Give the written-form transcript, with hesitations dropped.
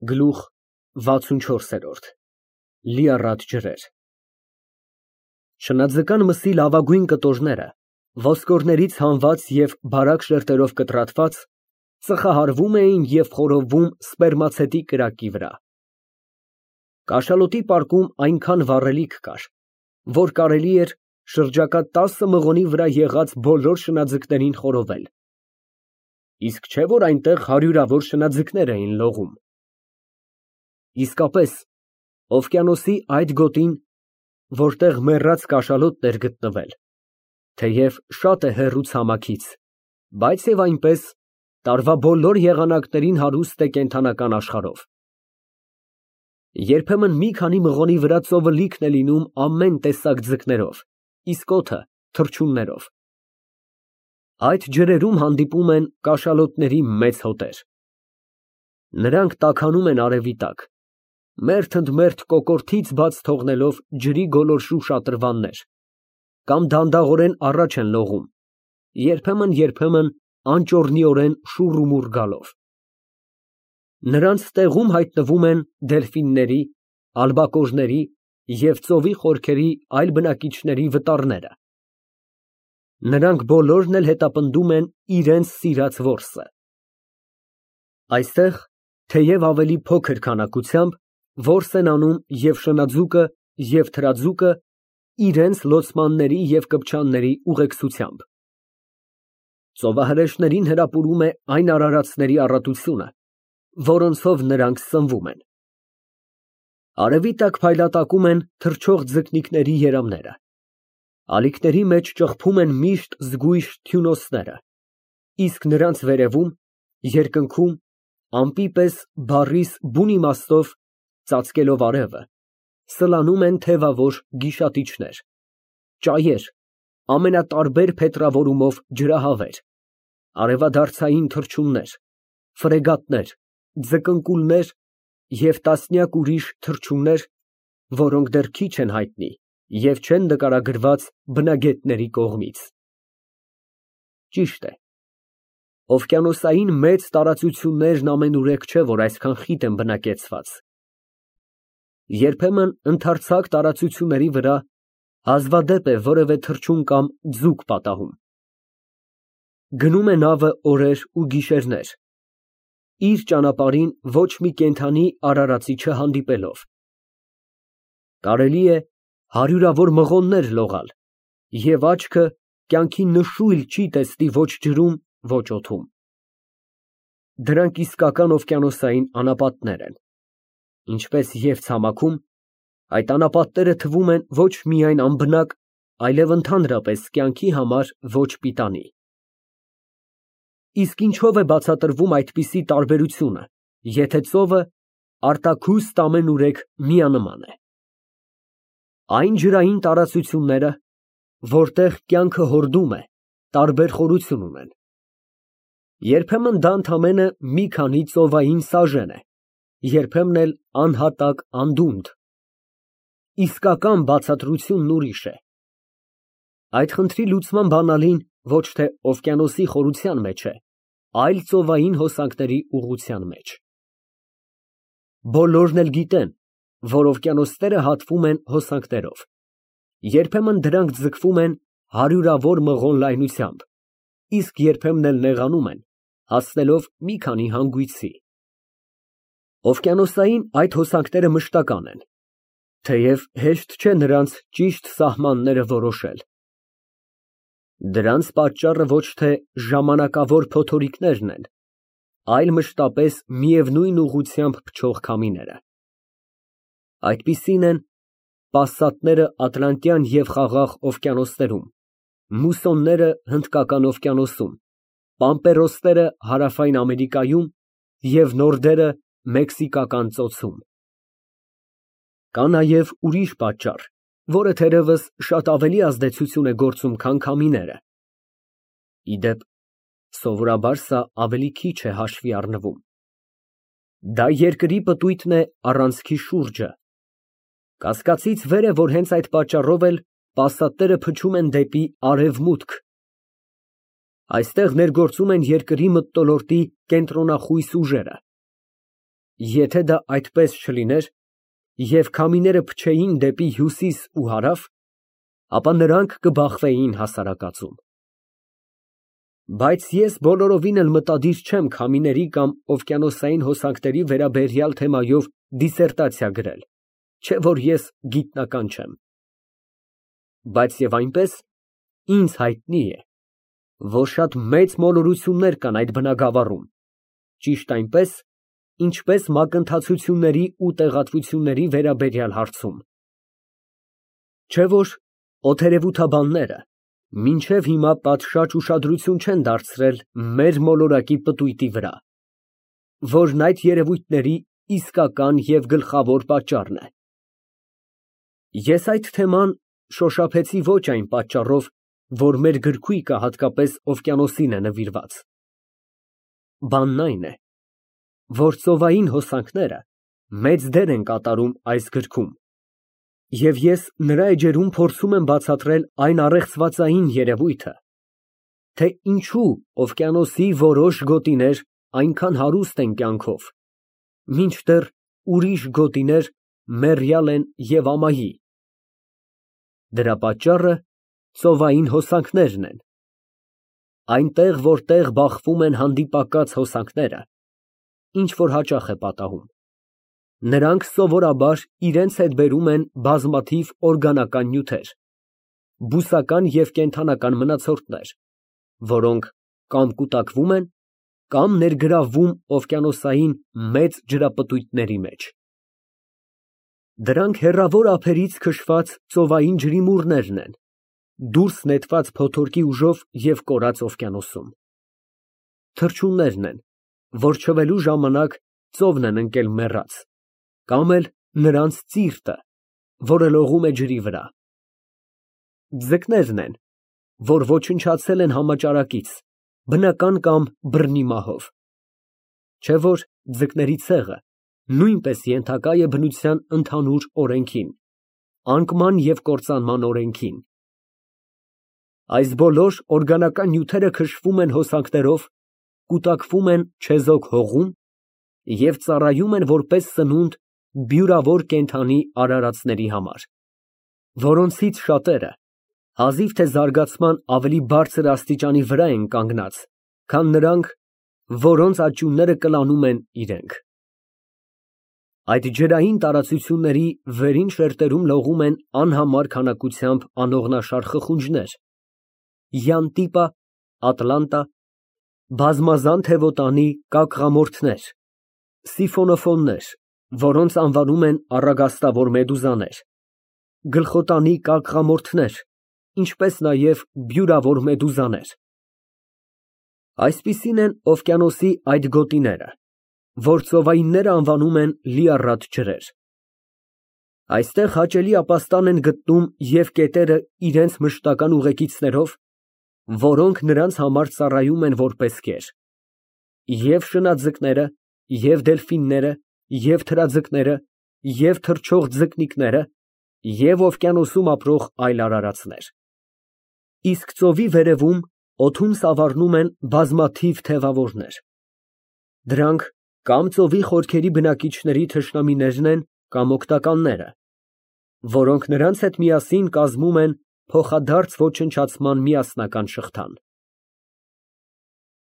Գլուխ 64 Լիառատ ջրեր Շնաձկան մսի լավագույն կտորները, ոսկորներից հանված և բարակ շերտերով կտրատված, ծխահարվում էին և խորովվում սպերմացետի կրակի վրա։ Կաշալոտի պարկում այնքան վառելիք կար, որ կարելի էր շրջակա 10 մղոնի վրա եղած բոլոր շնաձկներին խորովել, իսկ չէ՞ որ այնտեղ հարյուրավոր շնաձկներ էին լողում։ Իսկապես, օվկիանոսի այդ գոտին, որտեղ մեռած կաշալոտն էր գտնվել, թեև շատ է հեռու ցամաքից, բայց և այնպես, տարվա բոլոր եղանակներին հարուստ է կենդանական աշխարհով։ Երբեմն մի քանի մղոնի վրա ծովը լիքն է լինում ամեն տեսակ ձկներով, իսկ օդը թռչուններով։ Այդ ջրերում հանդիպում են կաշալոտների մեծ հոտեր։ Նրանք տաքանում են արևի տակ, մերթ ընդ մերթ կոկորդից բաց թողնելով ջրի գոլորշու շատրվաններ, կամ դանդաղորեն առաջ են լողում, երբեմն անճոռնիորեն շուռումուռ գալով։ Նրանց տեղում հայտնվում են դելֆինների, ալբակորների և ծովի խորքերի այլ բնակիչների վտառները։ Նրանք բոլորն էլ հետապնդում են իրենց սիրած որսը։ Այստեղ, թեև ավելի փոքր քանակությամբ, որս են անում և շնաձուկը, և թրաձուկը իրենց լոցմանների և կպչանների ուղեկցությամբ։ Ծովահրեշտներին հրապուրում է այն արարածների առատությունը, որոնցով նրանք սնվում են։ Արևի տակ փայլատակում են թռչող ձկնիկների երամները, ալիքների մեջ ճխփում են միշտ զգույշ թյունոցները, իսկ նրանց վերևում, երկնքում, ամպի պես բառիս բուն իմաստով, ծածկելով արևը, սլանում են թևավոր գիշատիչներ, ճայեր, ամենատարբեր փետրավորումով ջրահավեր, արևադարձային թռչուններ, ֆրեգատներ, ձկնկուլներ և տասնյակ ուրիշ թռչուններ, որոնք դեռ քիչ են հայտնի և չեն նկարագրված բնագետների կողմից։ Ճիշտ է, օվկիանոսային մեծ տարածություններն ամենուրեք չէ, որ այսքան խիտ են բնակեցված։ Երբեմն ընդարձակ տարածությունների վրա հազվադեպ է որևէ թռչուն կամ ձուկ պատահում։ Գնում է նավը օրեր ու գիշերներ, իր ճանապարհին ոչ մի կենդանի արարածի չհանդիպելով։ Կարելի է հարյուրավոր մղոններ լողալ, և աչքը կյանքի նշույլ չի տեսնի ոչ ջրում, ոչ օդում։ Դրանք իսկական օվկիանոսային անապատներ են։ Ինչպես և ցամաքում, այդ անապատները թվում են ոչ միայն անբնակ, այլև ընդհանրապես կյանքի համար ոչ պիտանի։ Իսկ ինչո՞վ է բացատրվում այդպիսի տարբերությունը, եթե ծովը արտաքուստ ամենուրեք միանման է։ Այն ջրային տարածությունները, որտեղ կյանքը հորդում է, տարբեր խորություն ունեն։ Երբեմն դա ընդամենը մի քանի ծովային սաժեն է, երբեմն էլ անհատակ անդունդ։ Իսկական բացատրությունն ուրիշ է։ Այդ խնդրի լուծման բանալին ոչ թե օվկիանոսի խորության մեջ է, այլ ծովային հոսանքների ուղղության մեջ։ Բոլորն էլ գիտեն, որ օվկիանոսները հատվում են հոսանքներով, երբեմն դրանք ձգվում են հարյուրավոր մղոն լայնությամբ, իսկ երբեմն էլ նեղանում են, հասնելով մի քանի հանգույցի։ Օվկիանոսային այդ հոսանքները մշտական են, թեև հեշտ չէ նրանց ճիշտ սահմանները որոշել։ Դրանց պատճառը ոչ թե ժամանակավոր փոթորիկներն են, այլ մշտապես միևնույն ուղղությամբ փչող քամիները։ Այդպիսին են պասատները Ատլանտյան և Խաղաղ օվկիանոսներում, մուսոնները Հնդկական օվկիանոսում, պամպերոսները Հարավային Ամերիկայում և նորդերը Մեքսիկական ծոցում։ Կա նաև ուրիշ պատճառ, որը թերևս շատ ավելի ազդեցություն է գործում, քան քամիները։ Ի դեպ, սովորաբար սա ավելի քիչ է հաշվի առնվում։ Դա երկրի պտույտն է առանցքի շուրջը։ Կասկածից վեր է, որ հենց այդ պատճառով էլ պասատները փչում են դեպի արևմուտք։ Այստեղ ներգործում են երկրի մթնոլորտի կենտրոնախույս ուժերը։ Եթե դա այդպես չլիներ, և քամիները փչեին դեպի հյուսիս ու հարավ, ապա նրանք կբախվեին հասարակածում։ Բայց ես բոլորովին էլ մտադիր չեմ քամիների կամ օվկիանոսային հոսանքների վերաբերյալ թեմայով դիսերտացիա գրել, չէ որ ես գիտնական չեմ։ Բայց և այնպես ինձ հայտնի է, որ շատ մեծ մոլորություններ կան այդ բնագավառում, ճիշտ այնպես, ինչպես մակընթացությունների ու տեղատվությունների վերաբերյալ հարցում։ Չէ որ օդերևութաբանները մինչև հիմա պատշաճ ուշադրություն չեն դարձրել մեր մոլորակի պտույտի վրա, որն այդ երևույթների իսկական և գլխավոր պատճառն է։ Ես այդ թեման շոշափեցի ոչ այն պատճառով, որ մեր գրքույկը հատկապես օվկիանոսին է նվիրված։ Բանն այն է, որ ծովային հոսանքները մեծ դեր են կատարում այս գրքում, և ես նրա էջերում փորձում եմ բացատրել այն առեղծվածային երևույթը, թե ինչու օվկիանոսի որոշ գոտիներ այնքան հարուստ են կյանքով, մինչդեռ ուրիշ գոտիներ մեռյալ են և ամայի։ Դրա պատճառը ծովային հոսանքներն են։ Այնտեղ, որտեղ բախվում են հանդիպակաց հոսանքները, ինչ որ հաճախ է պատահում, նրանք սովորաբար իրենց հետ բերում են բազմաթիվ օրգանական նյութեր, բուսական և կենդանական մնացորդներ, որոնք կամ կուտակվում են, կամ ներգրավվում օվկիանոսային մեծ ջրապտույտների մեջ։ Դրանք հեռավոր ափերից քշված ծովային ջրիմուռներն են, դուրս նետված փոթորկի ուժով և կորած օվկիանոսում։ Թռչուններն են, որ չվելու ժամանակ ծովն են ընկել մեռած, կամ էլ նրանց ծիրտը, որը լողում է ջրի վրա։ Ձկներն են, որ ոչնչացել են համաճարակից, բնական կամ բռնի մահով։ Չէ որ ձկների ցեղը նույնպես ենթակա է բնության ընդհանուր օրենքին, անկման և կործանման օրենքին։ Այս բոլոր օրգանական նյութերը քշվում են հոսանքներով, կուտակվում են չեզոք հողում և ծառայում են որպես սնունդ բյուրավոր կենդանի արարածների համար, որոնցից շատերը հազիվ թե զարգացման ավելի բարձր աստիճանի վրա են կանգնած, քան նրանք, որոնց աճյունները կլանում են իրենք։ Այդ ջրային տարածությունների վերին շերտերում լողում են անհամար քանակությամբ անողնաշար խխունջներ, յանտիպա, ատլանտա, բազմազան թևոտանի կակղամորթներ, սիֆոնոֆոններ, որոնց անվանում են առագաստավոր մեդուզաներ, գլխոտանի կակղամորթներ, ինչպես նաև բյուրավոր մեդուզաներ։ Այսպիսին են օվկիանոսի այդ գոտիները, որ ծովայինները անվանում են լիառատ ջրեր։ Այստեղ հաճելի ապաստան են գտնում և կետերը իրենց մշտական ուղեկիցներով, որոնք նրանց համար ծառայում են որպես կեր, և շնաձկները, և դելֆինները, և թրաձկները, և թռչող ձկնիկները, և օվկիանոսում ապրող այլ արարածներ։ Իսկ ծովի վերևում օդում սավառնում են բազմաթիվ թևավորներ։ Դրանք կամ ծովի խորքերի բնակիչների թշնամիներն են, կամ օգտականները, որոնք նրանց հետ միասին կազմում են փոխադարձ ոչնչացման միասնական շղթան։